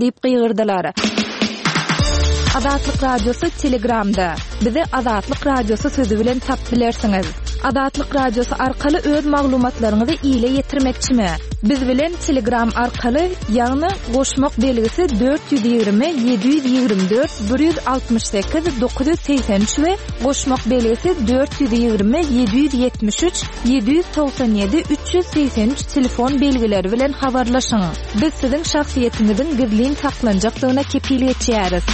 Diýip gygyrdylar. Azatlyk Radiosy Telegramda. Bizi Azatlyk Radiosy sözi bilen tapyp bilersiňiz. Azatlyk Radiosy arkaly öz maglumatlaryňyzy ile ýetirmekçimi? Biz bilen Telegram arkaly, ýagny goşmak belgisi 420 724 168 983 we goşmak belgisi 420 773 797 383 telefon belgileri bilen habarlaşyň. Biz siziň şahsyýetiňiziň gizlin saklanjakdygyna kepil geçýäris.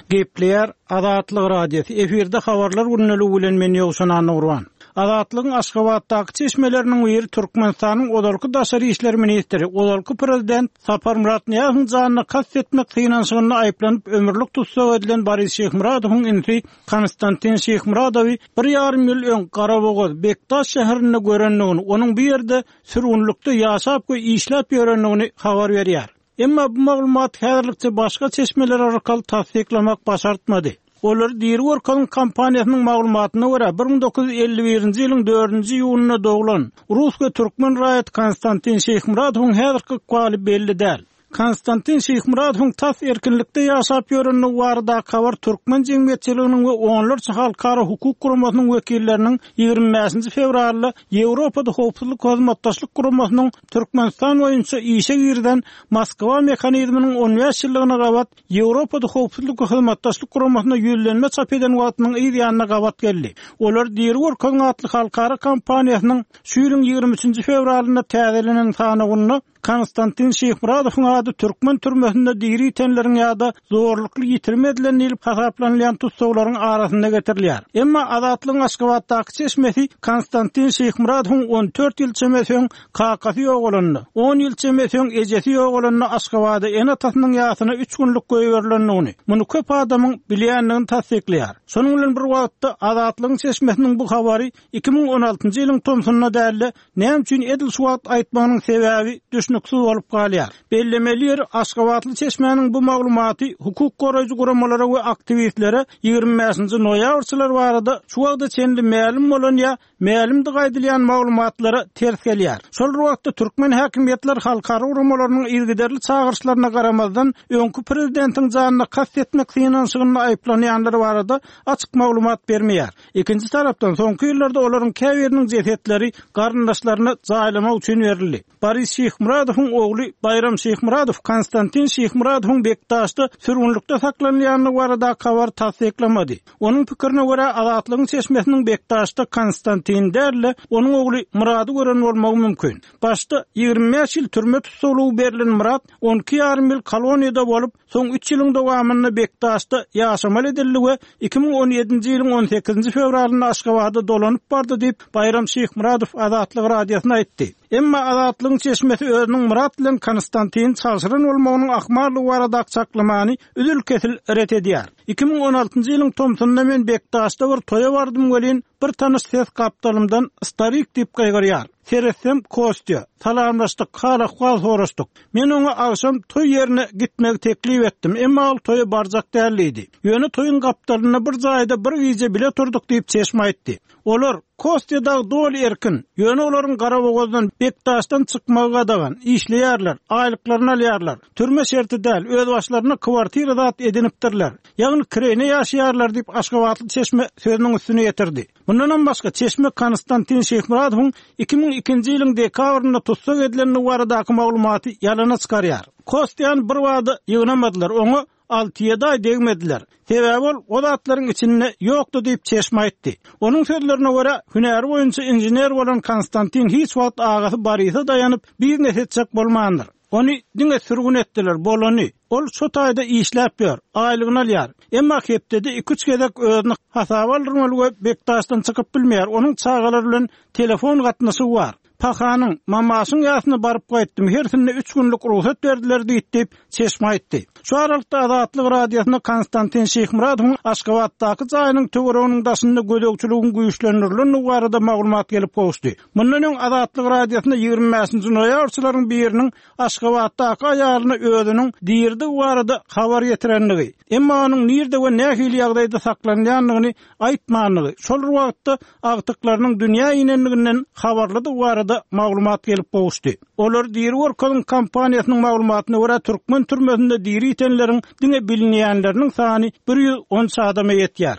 Gepleýär Azatlyk Radiosy, efirde Habarlar gündeligi bilen men Ýowşan Annagurban. Azatlygyň Aşgabatdaky çeşmeleriniň biri Türkmenistanyň ozalky daşary işler ministri, ozalky prezident Saparmyrat Nyýazowyň janyna kast etmek synanyşygynda aýyplanyp ömürlik tussag edilen Boris Şyhmyradowyň inisi Konstantin Şyhmyradowy bir ýarym ýyl öň Garabogaz, Bekdaş şäherinde görendigini, onuň bu ýerde sürgünlikde ýaşap we işläp ýörendigini habar berýär. Emma bu maglumaty häzirlikçe başga çeşmeler arkaly tassyklamak başartmady. Olary diri görkeziň kampaniýasynyň maglumatyna görä, 1951-nji ýylyň dördünji iýunynda doglan, rus we türkmen raýaty Konstantin Şyhmyradowyň häzirki ykbaly belli däl. Konstantin Şyhmyradowyň tas erkinlikde ýaşap ýörendigi baradaky habar türkmen jemgyýetçiliginiň we onlarça halkara hukuk guramasynyň wekilleriniň 25-nji fewralda Ýewropada Howpsuzlyk Hyzmatdaşlyk Guramasynyň Türkmenistan boýunça işe girizen Moskwa mehanizminiň 15 ýyllygyna gabat Ýewropada Howpsuzlyk we Hyzmatdaşlyk Guramasyna ýüzlenme çap eden wagtynyň yz ýanyna gabat geldi. Olar Diri görkeziň atly halkara kampaniýasynyň şu ýylyň 23-nji fewralynda täzelenen sanawynda Konstantin Şyhmyradowyň ady türkmen türmesinde diri ýitenleriň ýa-da zorlukly ýitirim edilen diýlip hasaplanylýan tussaglaryň arasynda getirilýär. Emma Azatlygyň Aşgabatdaky çeşmesi Konstantin Şyhmyradowyň 14 ýyl çemesi öň kakasy ýogalanda, on ýyl çemesi öň ejesi ýogalanda Aşgabada ene-atasynyň ýasyna üç günlük goýberilendigini, muny köp adamyň bilýändigini tassyklaýar. Şonuň bilen bir wagtda, Azatlygyň çeşmesiniň bu habary 2016-njy ýylyň tomsunda däl-de, Näme üçin edil şu wagt aýtmagynyň sebäbi düşnüksiz bolup galýar. Bellemeli ýeri, aşgabatly çeşmäniň bu maglumaty hukuk goraýjy guramalara we aktiwistlere 25-nji noýabrçylar barada şu wagta çenli mälim bolan ýa mälimdigi aýdylýan maglumatlara ters gelýär. Şol bir wagtda türkmen häkimiýetleri halkara guramalarynyň yzygiderli çagyryşlaryna garamazdan, öňki prezidentiň janyna kast etmek synanyşygynda aýyplanýanlar barada açyk maglumat bermeýär. Ikinji tarapdan, soňky ýyllarda olaryň käbiriniň jesetleri garyndaşlaryna jaýlamak üçin berildi. Boris Şyhmyradowyň ogly Baýram Şyhmyradow Konstantin Şyhmyradowyň Bekdaşda sürgünlikde saklanylýandygy baradaky habary tassyklamady. Onuň pikirine görä, Azatlygyň çeşmesiniň Bekdaşda Konstantini däl-de, onuň ogly Myrady gören bolmagy mümkin. Başda 25 ýyl türme tussaglygy berlen Myrat 12 ýarym ýyl koloniýada bolup, Soň üç ýylyň dowamynda Bekdaşda ýaşamaly edildi we 2017-nji ýylyň on sekizinji fewralynda Aşgabada dolanyp bardy diýip, Baýram Şyhmyradow Azatlyk Radiosyna aýtdy. Emma Azatlygyň çeşmesi özüniň Myrat bilen Konstantini çalşyran bolmagynyň ahmallygy baradaky çaklamany üzül-kesil ret edýär. 2016-njy ýylyň tomsunda men Bekdaşda bir toýa bardym welin, bir tanyş ses gapdalymdan Starik diýip gygyrýar. Seretsem, Kostýa. Salamlaşdyk, hal-ahwal soraşdyk. Men oňa agşam toý ýerine gitmegi teklip etdim, emma ol toýa barjak däl diýdi. Ýöne toýuň gapdalynda bir jaýda bir gije bile turduk diýip, çeşme aýtdy. Olar, Kostýa dagy doly erkin, ýöne olaryň Garabogazdan, Bekdaşdan çykmagy gadagan, işleýärler, aýlyklaryny alýarlar. Türme şerti däl, özbaşlaryna kwartira zat edinipdirler. Ýagny kireýne ýaşaýarlar diýip, aşgabatly çeşme sözüniň üstüni ýetirdi. Mundanam başga, çeşme Konstantin Şyhmyradowyň 2002-nji ýylyň dekabrynda tussag edilendigi baradaky maglumaty ýalana çykarýar. Kostýany birbada ýygnamadylar, oňa alty-ýedi aý degmediler. Sebäbi ol o zatlaryň içinde ýokdy diýip, çeşme aýtdy. Onuň sözlerine görä, hünäri boýunça inžener bolan Konstantin hiç wagt agasy Borise daýanyp, biznes etjek bolmandyr. Ony diňe sürgün etdiler, bolany. Ol şo taýda işläp ýör, aýlygyny alýar. Emma hepdede iki-üç gezek özüni hasaba aldyrmaly we Bekdaşdan çykyp bilmeýär, onuň çagalary bilen telefon gatnaşygy bar. Pahanyň, Mamaşyň ýasyna baryp gaýtdym, hersinde üç günlük rugsat berdiler diýdi diýip, çeşme aýtdy. Şu aralykda Azatlyk Radiosyna Konstantin Şyhmyradowyň Aşgabatdaky jaýynyň töwereginiň daşynda gözegçiligiň güýçlendirilendigi barada maglumat gelip gowuşdy. Mundan öň Azatlyk Radiosyna 25-nji noýabrçylaryň biriniň Aşgabatdaky aýalyna özüniň diridigi barada habar ýetirendigi, emma onuň nirde we nähili ýagdaýda saklanýandygyny aýtmandygy, şol bir wagtda agtyklarynyň dünýä inendiginden habarlydygy barada. barada maglumat gelip gowuşdy. Olary diri görkeziň kampaniýasynyň maglumatyna görä, türkmen türmesinde diri ýitenleriň diňe bilinýänleriniň sany 113 adama ýetýär.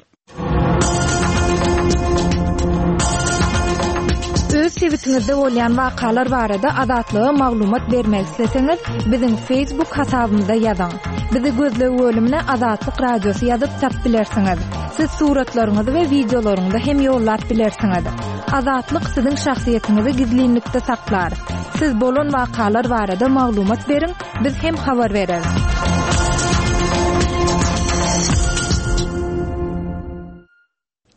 Öz sebitiňizde bolýan wakalar barada Azatlyga maglumat bermek isleseňiz, biziň Facebook hasabymyza ýazyň. Bizi gözleg bölümine Azatlyk Radiosy ýazyp tap bilersiňiz. Siz suratlaryňyzy we wideolaryňyzy hem ýollap bilersiňiz. Azatlyk siziň şahsyýetiňizi gizlinlikde saklar. Siz bolan wakalar barada maglumat beriň, biz hem habar bereris.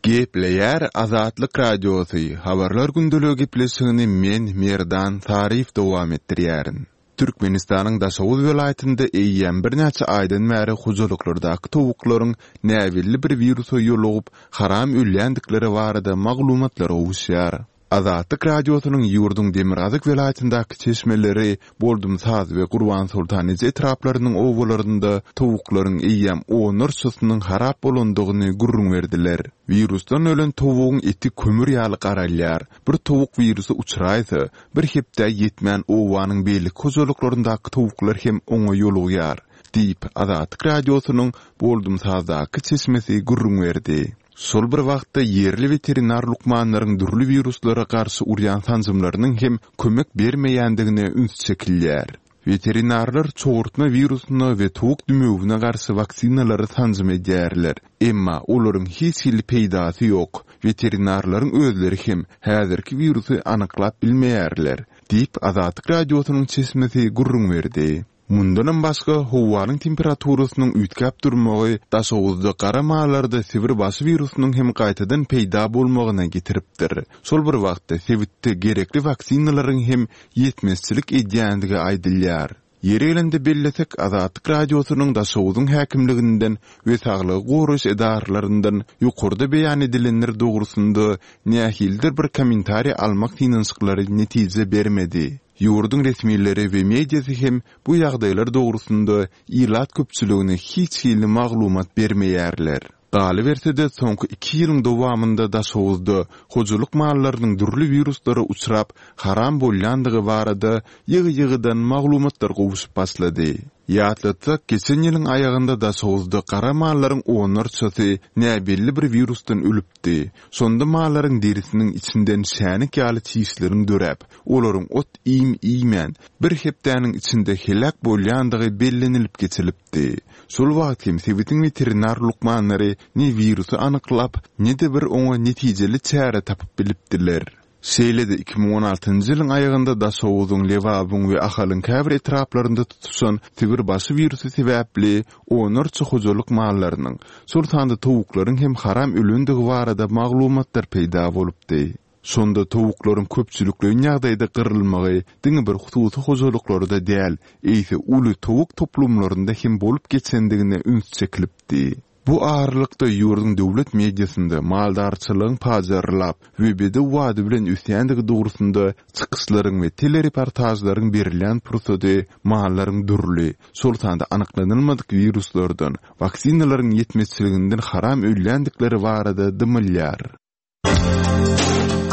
Gepleýär Azatlyk Radiosy, Habarlar gündeligi gepleşigini men, Merdan Saryýew dowam etdirýärin. Türkmenistanyň Daşoguz welaýatynda eýýäm birnäçe aýdan bäri hojalyklardaky towuklaryň näbelli bir wirusa ýolugyp, haram ölýändikleri barada maglumatlar gowuşýar. Azatlyk Radiosynyň ýurduň demirgazyk welaýatyndaky çeşmeleri Boldumsaz we Gurbansoltan eje etraplarynyň obalarynda towuklaryň eýýäm onlarçasynyň harap bolandygyny gürrüň berdiler. Wirusdan ölen towugyň eti kömür ýaly garalýar. Bir towuk wirusa uçraýsa, bir hepdä ýetmän obanyň beýleki hojalyklaryndaky towuklar hem oňa ýolugýar, diýip, Azatlyk Radiosynyň Boldumsazdaky çeşmesi gürrüň berdi. Şol bir wagtda, ýerli weterinar lukmanlaryň dürli wiruslara garşy urýan sanjymlarynyň hem kömek bermeýändigine üns çekilýär. Weterinarlar çogurtma wirusyna we towuk dümewine garşy waksinalary sanjym edýärler. Emma olaryň hiç hili peýdasy ýok. Weterinarlaryň özleri hem häzirki wirusy anyklap bilmeýärler, diýip, Azatlyk Radiosynyň çeşmesi gürrüň berdi. Mundanam başga, howanyň temperaturasynyň üýtgäp durmagy Daşoguzda gara mallarda sibir başy wirusynyň hem gaýtadan peýda bolmagyna getiripdir. Şol bir wagtda, sebitde gerekli waksinalaryň hem ýetmezçilik edýändigi aýdylýar. Ýeri gelende bellesek, Azatlyk Radiosynyň Daşoguzyň häkimliginden we saglygy goraýyş edaralaryndan ýokarda beýan edilenler dogrusynda nähilidir bir kommentariý almak synanyşyklary netije bermedi. Ýurduň resmileri we mediasy hem bu ýagdaýlar dogrusynda ilat köpçüligine hiç hili maglumat bermeýärler. Galyberse-de, soňky iki ýylyň dowamynda Daşoguzda hojalyk mallarynyň dürli wiruslara uçrap, haram bolýandygy barada ýygy-ýygydan maglumatlar gowşup başlady. Ýatlatsak, geçen ýylyň aýagynda Daşoguzda gara mallaryň onlarçasy näbelli bir wirusdan ölüpdi. Şonda mallaryň derisiniň içinden şänik ýaly çişleriň döräp, olaryň ot-iým iýmän, bir hepdäniň içinde heläk bolýandygy bellenilip geçilipdi. Şol wagt hem sebitiň weterinar lukmanlary ne wirusy anyklap, ne-de bir oňa netijeli çäre tapyp bilipdiler. Şeýle-de 2016-njy ýylyň aýagynda Daşoguzyň, Lebabyň we Ahalyň käbir etraplarynda tutuşan sibir başy wirusy sebäpli onlarça hojalyk mallarynyň, şol sanda towuklaryň hem haram ölendigi barada maglumatlar peýda bolupdy. Şonda towuklaryň köpçülikleýin ýagdaýda gyrylmagy diňe bir hususy hojalyklarda däl, eýse uly towuk toplumlarynda hem bolup geçendigine üns çekilipdi. Bu aralykda ýurduň döwlet mediasynda maldarçylygyň pajarlap we bedew bady bilen ösýändigi dogrusynda çykyşlaryň we telereportažlaryň berilýän pursady mallaryň dürli, şol sanda anyklanylmadyk wiruslardan, waksinalaryň ýetmezçiliginden haram ölýändikleri barada dymylýar.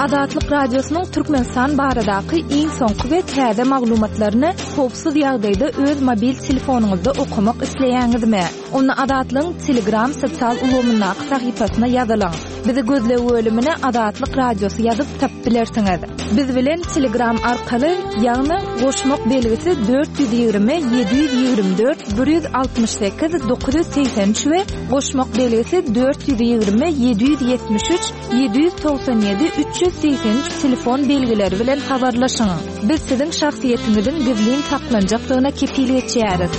Azatlyk Radiosynyň Türkmenistan baradaky iň soňky we täze maglumatlaryny howpsuz ýagdaýda öz mobil telefonyňyzda okamak isleýäňizmi? Onda Azatlygyň Telegram sosial ulgamyndaky sahypasyna ýazylyň. Bizi gözleg bölümine Azatlyk Radiosy ýazyp tapyp bilersiňiz. Biz bilen Telegram arkaly, ýagny goşmak belgisi 420 724 168 983 we Goşmak belgisi 420 773 797 383 telefon belgileri bilen habarlaşyň. Biz siziň şahsyýetiňiziň gizlin saklanjakdygyna kepil geçýäris.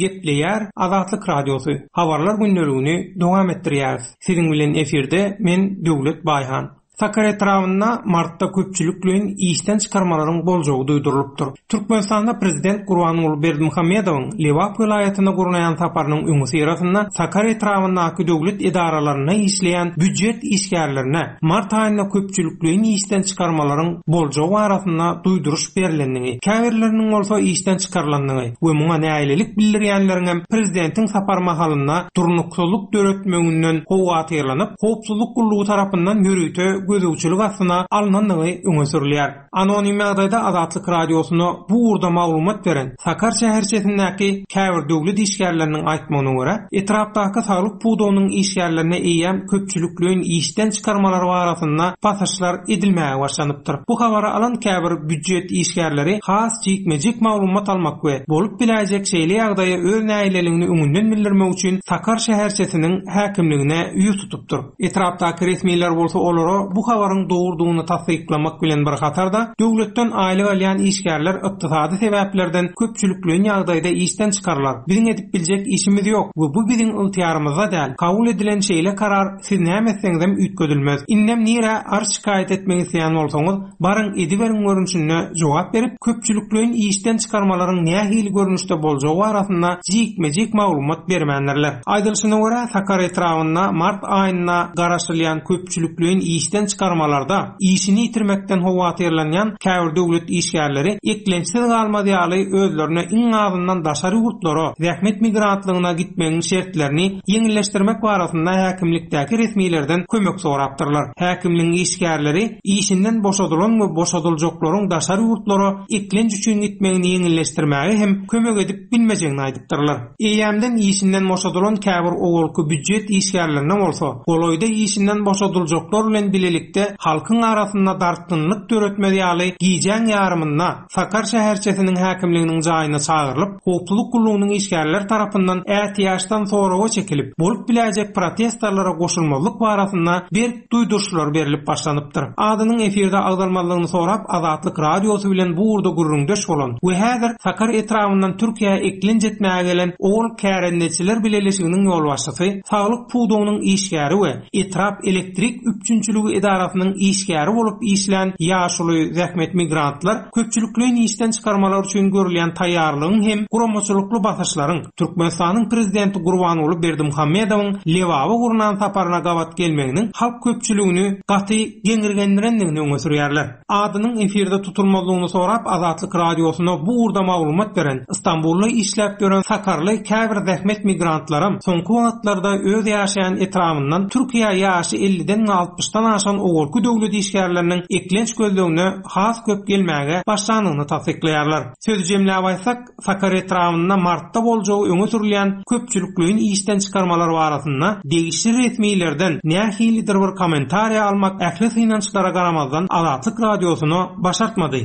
Gepleýär Azatlyk Radiosy, Habarlar gündeligini dowam etdirýäris. Siziň bilen efirde men Döwlet Baýhan. Sakar etrabynda martda köpçülikleýin işden çykarmalaryň boljagy duýdurylypdyr. Türkmenistanda prezident Gurbanguly Berdimuhamedowyň Lebap welaýatyna gurnaýan saparynyň öňüsyrasynda Sakar etrabyndaky döwlet edaralarynda işleýän býujet işgärlerine mart aýynda köpçülikleýin işden çykarmalaryň boljagy barasynda duýduryş berlendigi, käbirleriniň bolsa işden çykarylandygy we muňa nägilelik bildirýänleriňem prezidentiň sapary mahalynda durnuksyzlyk döretmeginden howatyrlanyp, howpsuzlyk gullugy tarapyndan ýörite. gözegçilik astyna alnandygy öňe sürülýär. Anonim ýagdaýda Azatlyk Radiosyna bu ugurda maglumat beren Sakar şäherçesindäki käbir döwlet işgärleriniň aýtmagyna görä, etrapdaky saglyk pudagynyň işgärlerine eýýäm köpçülikleýin işden çykarmalar barasynda basyşlar edilmäge başlanypdyr. Bu habary alan käbir býujet işgärleri has jikme-jik maglumat almak we bolup biläýjek şeýle ýagdaýa öz nägileligini öňünden bildirmek üçin Sakar şäherçesiniň häkimligine ýüz tutupdyr. Etrapdaky resmiler bolsa olara bu habaryň dogrudygyny tassyklamak bilen bir hatarda, döwletden aýlyk alýan işgärler ykdysady sebäplerden köpçülikleýin ýagdaýda işden çykarylar, biziň edip biljek işimiz ýok we bu biziň ygtyýarymyzda däl, kabul edilen şeýle karar siz näme etseňizem üýtgedilmez, indem nirä arz-şikaýat etmek isleýän bolsaňyz, baryň ediberiň görnüşinde jogap berip, köpçülikleýin işden çykarmalaryň nähili görnüşde boljagy barasynda jikme-jik maglumat bermändirler. Aýdylyşyna görä, Sakar etrabynda mart aýynda garaşylýan köpçülikleýin işden çykarmalarda işini ýitirmekden howatyrlanýan käbir döwlet işgärleri eklençsiz galmaz ýaly özlerine iň azyndan daşary ýurtlara zähmet migrantlygyna gitmegiň şertlerini ýeňilleşdirmek barasynda häkimlikdäki resmilerden kömek sorapdyrlar. Häkimligiň işgärleri işinden boşadylan we boşadyljaklaryň daşary ýurtlara eklenç üçin gitmegini ýeňilleşdirmäge hem kömek edip bilmejegini aýdypdyrlar. Eýýämden işinden boşadylan käbir owalky býujet işgärlerine bolsa, golaýda işinden boşadyljaklar bilen bilelikde halkyň arasynda dartgynlyk döretmez ýaly gijäň ýarymynda Sakar şäherçesiniň häkimliginiň jaýyna çagyrylyp, howpsuzlyk gullugynyň işgärleri tarapyndan ätiýaçdan soraga çekilip, bolup biläýjek protestarlara goşulmazlyk barasynda berk duýduryşlar berlip başlanypdyr. Adynyň efirde agzalmazlygyny sorap Azatlyk Radiosy bilen bu ugurda gürrüňdeş bolan we häzir Sakar etrabyndan Türkiýä eklenç etmäge gelen Owal kärendeçiler bileleşiginiň ýolbaşçysy, saglyk pudagynyň işgäri we etrap elektrik üpjünçiligi edarasynyň işgäri bolup işlän ýaşuly zähmet migrantlar köpçülikleýin işden çykarmalar üçin görülýän taýýarlygyň hem guramaçylykly basyşlaryň Türkmenistanyň Prezidenti Gurbanguly Berdimuhamedowyň Lebaba gurnan saparyna gabat gelmeginiň halk köpçüligini gaty geňirgendirendigini öňe sürýärler. Adynyň efirde tutulmazlygyny sorap Azatlyk Radiosyna bu ugurda maglumat beren, Stambulda işläp ýören sakarly käbir zähmet migrantlaram soňky wagtlarda öz ýaşaýan etrabyndan Türkiýä ýaşy elliden we altmyşdan aşan owalky döwlet işgärleriniň eklenç gözlegine has köp gelmäge başlandygyny tassyklaýarlar. Sözi jemläp aýtsak, Sakar etrabynda martda boljagy öňe sürülýän köpçülikleýin işden çykarmalar barasynda degişli resmilerden nähilidir bir kommentariýa almak ähli synanyşyklara garamazdan Azatlyk Radiosyna başartmady.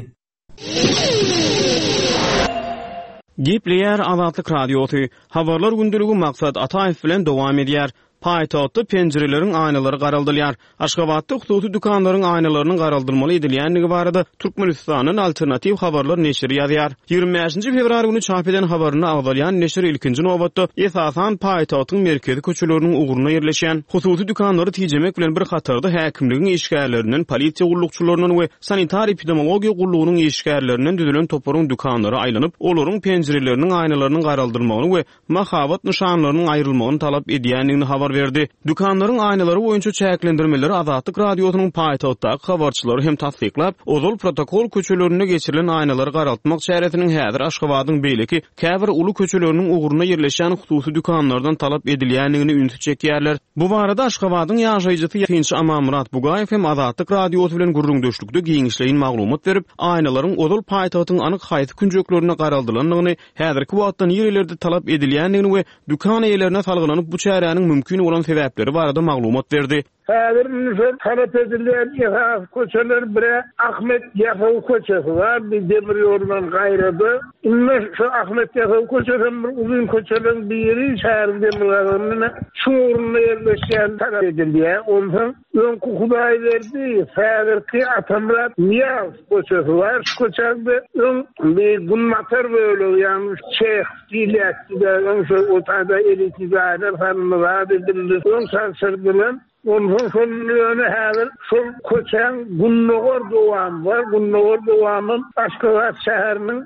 Gepleýär Azatlyk Radiosy, Habarlar gündeligi Maksat Ataýew bilen dowam edýär. Paýtagtda penjireleriň aýnalary garaldylýar. Aşgabatda hususy dükanlaryň aýnalarynyň garaldylmaly edilýändigi barada Türkmenistandan Alternatiw habarlar neşiri ýazýar. 25-nji fewral güni çap eden habarynda agzalýan neşir ilkinji nobatda, esasan, paýtagtyň merkezi köçeleriniň ugrunda ýerleşýän hususy dükanlary tijemek bilen bir hatarda häkimligiň işgärlerinden, polisiýa gullukçylaryndan we sanitar-epidemologiýa gullugynyň işgärlerinden düzülen toparyň dükanlara aýlanyp, olaryň penjireleriniň aýnalarynyň garaldylmagyny we mahabat nyşanlarynyň aýrylmagyny talap edýändigini habar berdi. Dükanlaryň aýnalary boýunça çäklendirmeleri Azatlyk Radiosynyň paýtagtdaky habarçylary hem tassyklap, ozal protokol köçelerinde geçirilen aýnalary garaltmak çäresiniň häzir Aşgabadyň beýleki käbir uly köçeleriniň ugrunda ýerleşýän hususy dükanlardan talap edilýändigini ünsi çekýärler. Bu barada Aşgabadyň ýaşaýjysy, synçy Amanmyrat Bugaýew hem Azatlyk Radiosy bilen gürrüňdeşlikde giňişleýin maglumat berip, aýnalaryň ozal paýtagtyň anyk haýsy künjeklerinde garaldylandygyny häzirki wagtda nirelerde talap edilýändigini we dükan eýelerine salgylanyp bu çäräniň mümkin bolan sebäpleri barada maglumat berdi. Häzir indi şol talap edilýän esasy köçeler bire Ahmet Ýasawy köçesi bar, bir demir ýoldan gaýrada. Indi şu Ahmet Ýasawy köçesem bir uzyn köçeleriň biri, şäheriň demirgazygynda şuň ugrunda ýerleşýän talap edilýär. Onsoň Öňki Hudaýberdiýew, häzirki Atamyrat Nyýazow köçesi bar. Şu köçäň-de öň bir günbatar bölegi, ýagny Çeh diýilýärdi-de, öň şo o taýda elitni jaýlar salyndy, zat edildi. Öň çalşyrdylar. Onsoň şol ýöne häzir şol köçäň gündogar dowamy bar. Gündogar dowamam Aşgabat şäheriniň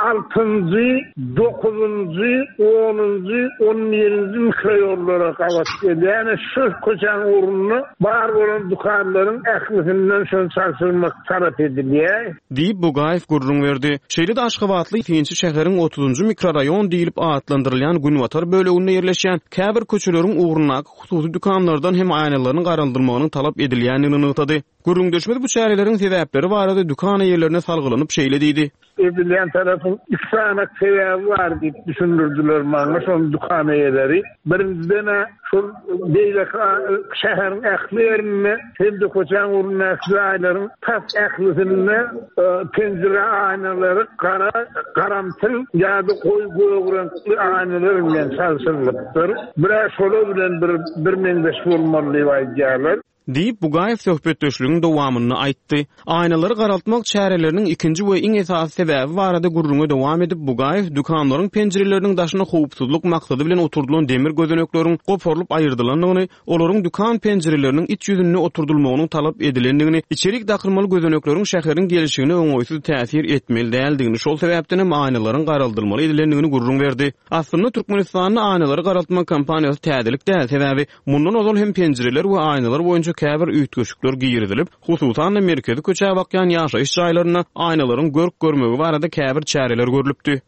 altynjy, dokuzynjy, onunjy, on birinji mikroýollara gabat gelýär. Ýöne şu köçäň ugrunda bar bolan dükanlaryň ählisinden şony çalşyrmak talap edilýär. Diýip, Bugaýew gürrüň berdi. Şeýle-de aşgabatly synçy şäheriň otuzynjy mikroraýon diýlip atlandyrylýan günbatar böleginde ýerleşýän käbir köçeleriň ugrundaky hususy dükanlardan hem aýnalaryň garaldylmagynyň talap edilýändigini nygtady. Gürrüňdeşimiz bu çäreleriň sebäpleri barada dükan eýelerine salgylanyp şeýle diýdi. Edilýän tarapyň iki sany sebäbi bar diýip düşündirdiler maňa şol dükan eýeleri. Birinjiden-ä şol beýleki şäheriň ähli ýerinde hem-de köçäň ugrundaky jaýlaryň tas ählisinde penjire aýnalary gara, garamtyl ýa-da goýy gök reňkli aýnalar bilen çalşyrylypdyr. Bir-ä şolar bilen bir birmeňzeş bolmaly diýip aýdýarlar. Diýip, Bugaýew söhbetdeşligiň dowamynda aýtdy. Aýnalary garaltmak çäreleriniň ikinji we iň esasy sebäbi barada gürrüňe dowam edip, Bugaýew dükanlaryň penjireleriniň daşyna howpsuzlyk maksady bilen oturdylan demir gözenekleriň goparylyp aýyrdylandygyny, olaryň dükan penjireleriniň iç ýüzünde oturdylmagynyň talap edilendigini, içerik dakylmaly gözenekleriň şäheriň gelşigine oňaýsyz täsir etmeli däldigini, şol sebäpdenem aýnalaryň garaldylmaly edilendigini gürrüň berdi. Aslynda, Türkmenistanda aýnalary garaltmak kampaniýasy täzelik däl, sebäbi Mundan ozal hem penjireler we aýnalar boýunça käbir üýtgeşikler girizilip, hususan-da, merkezi köçä bakýan ýaşaýyş jaýlarynda aýnalaryň görk-görmegi barada käbir çäreler görlüpdi.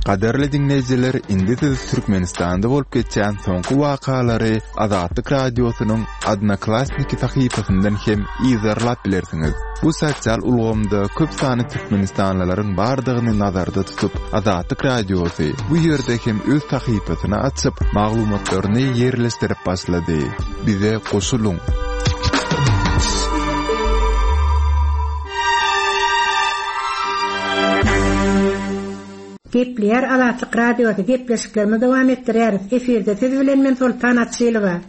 Gadyrly diňleýjiler, indi siz Türkmenistanda bolup geçýän soňky wakalary Azatlyk Radiosynyň Odnoklassniki sahypasyndan hem yzarlap bilersiňiz. Bu sosial ulgamda köp sanly türkmenistanlylaryň bardygyny nazarda tutup, Azatlyk Radiosy bu ýerde hem öz sahypasyny açyp, maglumatlaryny ýerleşdirip başlady. Bize goşulyň! Gepleýär Azatlyk Radiosy, gepleşiklerimizi dowam etdirýäris. Efirde siz bilen men Soltan Açylowa.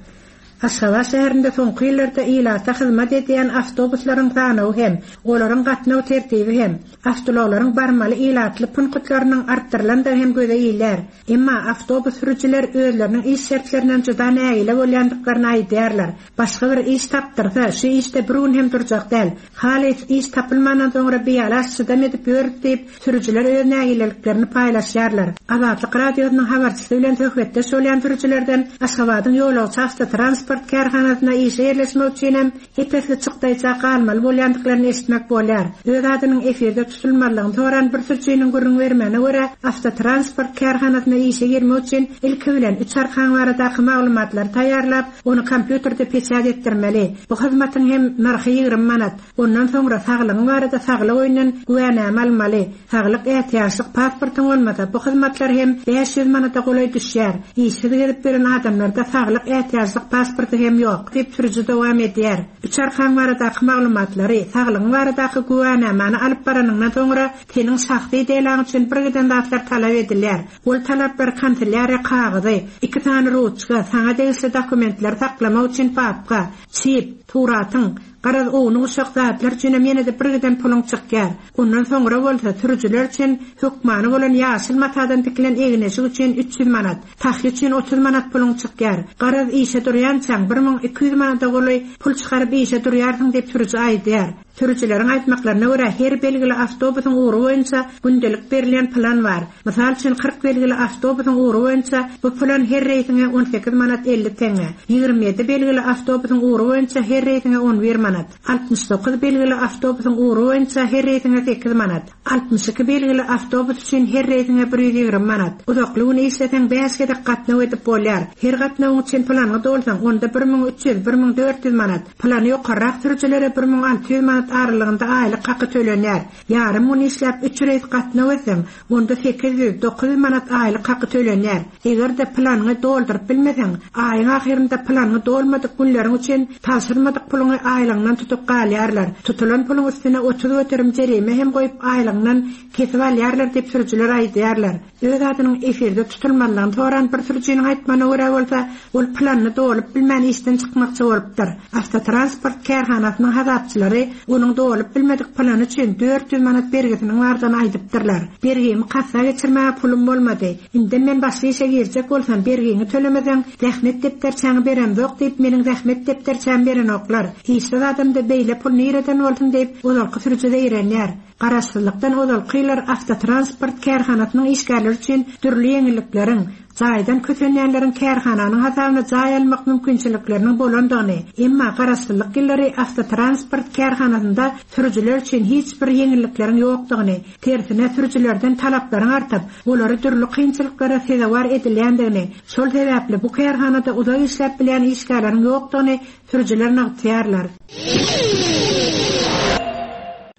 Aşgabat şäherinde soňky ýyllarda ilata hyzmat edýän awtobuslaryň sanawy hem, olaryň gatnaw tertibi hem, awtoulaglaryň barmaly ilatly punktlarynyň artdyrylandygy hem göze ilýär. Emma awtobus sürüjiler özleriniň iş şertlerinden juda nägile bolýandyklaryny aýdýarlar. Başga bir iş tapdyrsa, şu işde bir gün hem durjak däl. Halys iş tapylmandan soňra bialaç çydam edip ýörüs diýip, sürüjiler öz nägileliklerini paýlaşýarlar. Azatlyk Radiosynyň habarçysy bilen söhbetdeş bolýan sürüjilerden Aşgabadyň ýolagçy awtotransport kärhanasyna işe ýerleşmek üçin hem ep-esli çykdaýja galmaly bolýandyklaryny eşitmek bolýar. Öz adynyň efirde tutulmazlygyny soran bir sürüjiniň gürrüň bermegine görä, awtotransport kärhanasyna işe girmek üçin ilki bilen üç arkaň baradaky maglumatlary taýýarlap, Ony kompýuterde peçat etdirmeli. Bu hyzmatyň hem nyrhy 20 manat. Ondan soňra saglygyň barada saglyk öýünden güwänama almaly. Saglyk ätiýaçlyk pasportyň bolmasa, bu hyzmatlar hem 500 manada golaý düşýär. Işsiz gezip ýören adamlarda saglyk ätiýaçlyk pasporty hem ýok, diýip sürüji dowam edýär. Üç arkaň baradaky maglumatlary, saglygyň baradaky güwänamany alyp baranyňdan soňra seniň şahsy delaň üçin birgiden zatlar talap edilýär. Ol talaplar kanselýariýa kagyzy, iki sany ruçka, saňa degişli dokumentleri saklamak üçin papka, çip, suratyň, garaz ownuk-uşak zatlar üçinem ýene-de birgiden puluň çykýar. Ondan soňra bolsa sürüjiler üçin hökmany bolan ýaşyl matadan tikilen egin-eşik üçin 300 manat, tahýa üçin 30 manat puluň çykýar. Garaz işe durýançaň 1200 manada golaý pul çykaryp işe durýarsyň diýip sürüji aýdýar. Sürüjileriň aýtmaklaryna görä, her belgili awtobusyň ugry boýunça gündelik berilýän plan bar. Mysal üçin, 40 belgili awtobusyň ugry boýunça bu plan her reýsiňe 18 manat 50 teňňe, 27 belgili awtobusyň ugry boýunça her reýsiňe 11 manat, 69 belgili awtobusyň ugry boýunça her reýsiňe 8 manat, 62 belgili awtobus üçin her reýsiňe 120 manat. Uzakly gün işleseň, bäş gezek gatnaw edip bolýar. Her gatnawyň üçin planyňy dolsaň, onda 1300, 1400 manat. Plany ýokarrak sürüjilere 1600 manat aralygynda aýlyk haky tölenýär. Ýarym gün işläp, üç reýs gatnaw etseň, onda 800, 900 manat aýlyk haky tölenýär. Eger-de planyňy dolduryp bilmeseň, aýyň ahyrynda planyňy dolmadyk günleriň üçin tabşyrmadyk puluňy aýlygyňdan tutup galýarlar. Tutulan puluň üstüne 30% jerime hem goýup aýlygyňdan kesip alýarlar diýip sürüjiler aýdýarlar. Öz adynyň efirde tutulmazlygyny soran bir sürüjiniň aýtmagyna görä bolsa, ol planyny dolup bilmän işden çykmakçy bolupdyr. Awtotransport kärhanasynyň hasapçylary onuň dolup bilmedik plany üçin 400 manat bergisiniň bardygyny aýdypdyrlar. Bergimi kassa geçirmäge pulum bolmady. Indem men başga işe girjek bolsam, bergiňi tölemeseň, zähmet depderçäňi beremzok diýip, meniň zähmet depderçämi berenoklar. Işsiz adamda beýle pul nireden bolsun diýip, ozalky sürüji zeýrenýär. Garaşsyzlykdan ozalky ýyllar awtotransport kärhanasynyň işgärleri üçin dürli ýeňillikleriň, jaýdan kösenýänleriň kärhananyň hasabyna jaý almak mümkinçilikleriniň bolandygyny, emma garaşsyzlyk ýyllary awtotransport kärhanasynda sürüjiler üçin hiç bir ýeňillikleriň ýokdugyny, tersine sürüjilerden talaplaryň artyp, olary dürli kynçylyklara sezewar edilýändigini, şol sebäpli bu kärhanada uzak işläp bilýän işgärleriň ýokdugyny sürüjiler nygtaýarlar.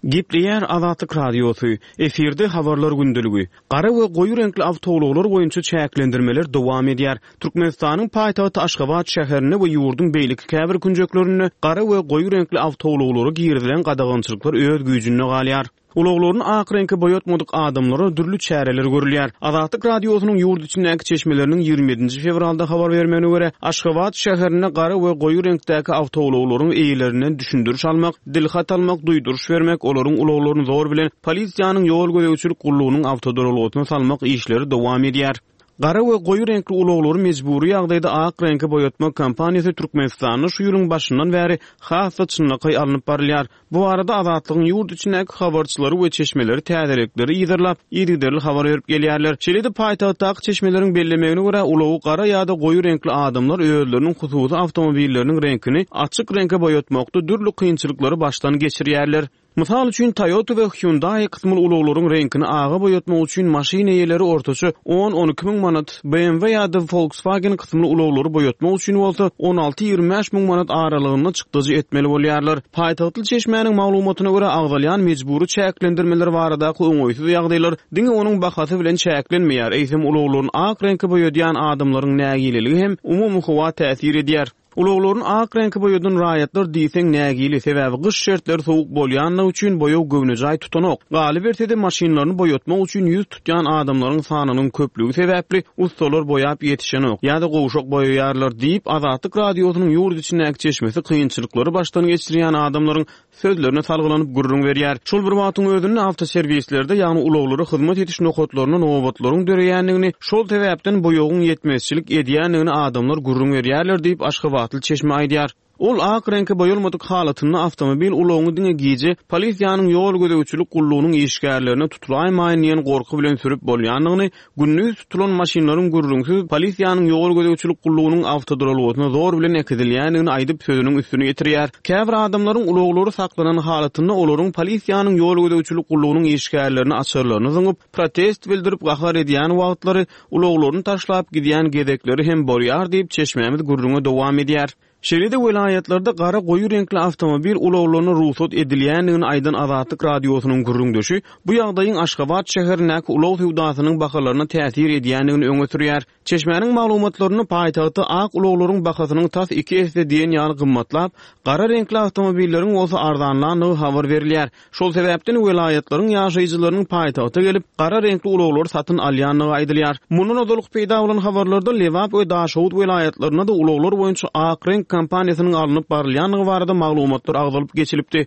Gepleýär Azatlyk Radiosy, Efirde Habarlar gündeligi. Gara we goýy reňkli awtoulaglar boýunça çäklendirmeler dowam edýär. Türkmenistanyň paýtagty Aşgabat şäherinde we ýurduň beýleki käbir künjeklerinde gara we goýy reňkli awtoulaglara girizilen gadagançylyklar öz güýjünde galýar. Ulaglaryny ak reňke boýatmadyk adamlara dürli çäreler görülýär. Azatlyk Radiosynyň ýurt içindäki çeşmeleriniň 27 fewralda habar bermegine görä, Aşgabat şäherinde gara we goýy reňkdäki awtoulaglaryň eýelerinden düşündiriş almak, dilhat almak, duýduryş bermek, olaryň ulaglaryny zor bilen polisiýanyň ýol gözegçilik gullugynyň awtoduralgasyna salmak işleri dowam edýär. Gara we goýy reňkli ulaglary mejbury ýagdaýda ak reňke boýatmak kampaniýasy Türkmenistanda şu ýylyň başyndan bäri has-da çynlakaý alnyp barylýar. Bu barada Azatlygyň ýurt içindäki habarçylary we çeşmeleri täzelikleri yzarlap, yzygiderli habar berip gelýärler. Şeýle-de paýtagtdaky çeşmeleriň bellemegine görä, ulagy gara ýa-da goýy reňkli adamlar özleriniň hususy awtomobilleriniň reňkini açyk reňke boýatmakda dürli kynçylyklary başdan geçirýärler. Mysal üçin, Toyota we Hyundai kysymly ulaglaryň reňkini aga boýatmak üçin maşyn eýeleri ortaça on-on iki müň manat, BMW ýa-da Volkswagen kysymly ulaglary boýatmak üçin bolsa on alty-ýigrimi bäş müň manat aralygynda çykdajy etmeli bolýarlar. Paýtagtly çeşmäniň maglumatyna görä, agzalýan mejbury çäklendirmeler baradaky oňaýsyz ýagdaýlar diňe onuň bahasy bilen çäklenmeýär, eýsem ulaglaryny ak reňke boýadýan adamlaryň nägileligi hem umumy howa täsir edýär. Ulaglaryny ak reňke boýadan raýatlar diýseň nägile, sebäbi gyş şertleri sowuk bolýanlygy üçin boýag göwnejaý tutanok. Galyberse-de, maşynlaryny boýatmak üçin ýüz tutýan adamlaryň sanynyň köplügi sebäpli ussalar boýap ýetişenok ýa-da gowşak boýaýarlar diýip, Azatlyk Radiosynyň ýurt içindäki çeşmesi kynçylyklary başdan geçirýän adamlaryň sözlerine salgylanyp gürrüň berýär. Şol bir wagtyň özünde awtoserwislerde, ýagny ulaglara hyzmat ediş nokatlarynda nobatlaryň döreýändigini, şol sebäpden boýagyň ýetmezçilik edýändigini adamlar gürrüň berýärler diýip, aşgabatly çeşme aýdýar. Ol ak reňke boýalmadyk halatynda awtomobil ulagyňy diňe gije polisiýanyň ýol gözegçilik gullugynyň işgärlerine tutulaýmaýyn diýen gorky bilen sürüp bolýandygyny, Gündiz tutulan maşynlaryň gürrüňsiz polisiýanyň ýol gözegçilik gullugynyň awtoduralgasyna zor bilen äkidilýändigini aýdyp, sözüniň üstüni ýetirýär. Käbir adamlaryň ulaglary saklanan halatynda olaryň polisiýanyň ýol gözegçilik gullugynyň işgärlerine açarlaryny zyňyp, protest bildirip gahar edýän wagtlary ulaglaryny taşlap gidýän gezekleri hem bolýar diýip, çeşmämiz gürrüňe dowam edýär. Şeýle-de welaýatlarda gara goýy reňkli awtomobil ulaglaryna rugsat edilýändigini aýdan Azatlyk Radiosynyň gürrüňdeşi bu ýagdaýyň Aşgabat şäherindäki ulag söwdasynyň bahalaryna täsir edýändigini öňe sürýär. Çeşmäniň maglumatlarynda paýtagtda ak ulaglaryň bahasynyň tas iki esse diýen ýaly gymmatlap, gara reňkli awtomobilleriň bolsa arzanlandygy habar berilýär. Şol sebäpden welaýatlaryň ýaşaýjylarynyň paýtagta gelip, gara reňkli ulaglary satyn alýandygy aýdylýar. Mundan ozalky peýda bolan habarlarda Lebap we Daşoguz welaýatlarynda-da ulaglar boýunça ak reňk kampaniýasynyň alnyp barylýandygy barada maglumatlar agzalyp geçilipdi.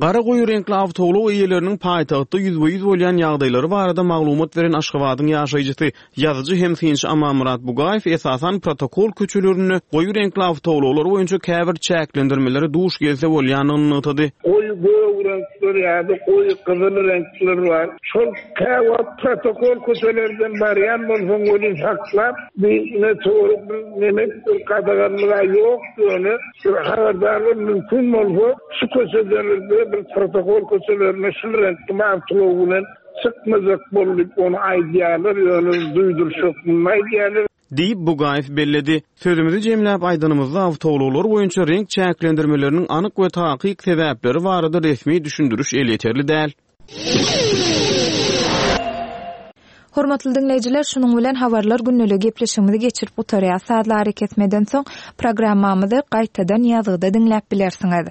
Gara goýy reňkli awtoulag eýeleriniň paýtagtda ýüzbe-ýüz bolýan ýagdaýlary barada maglumat beren Aşgabadyň ýaşaýjysy, ýazyjy hem synçy Amanmyrat Bugaýew esasan protokol köçelerinde goýy reňkli awtoulaglar boýunça käbir çäklendirmelere duş gelse bolýandygyny nygtady. Goýy gök reňkler ýa-da goýy gyzyl reňkler bar. Şol käwagt protokol köçelerden barýan bolsaň welin saklap, bir meteorik bir neme bir gadaganlyg-a ýok ýöne bir habardar bol mümkin bolsa şu köçeden bir protokol köçelerine şul reňkli awtoulag bilen Çykmajak bol diýip ony aýdýarlar, ýöne duýduryş hökmünde aýdýarlar. Diýip, Bugaýew belledi. Sözümizi jemläp aýdanymyzda, awtoulaglar boýunça reňk çäklendirmeleriniň anyk we takyk sebäpleri barada resmi düşündiriş elýeterli däl. Hormatly diňleýjiler, şunuň bilen Habarlar gündeligi gepleşigimizi geçirip gutarýas. Sazly arakesmeden soň programmamyzy gaýtadan ýazgyda diňläp bilersiňiz.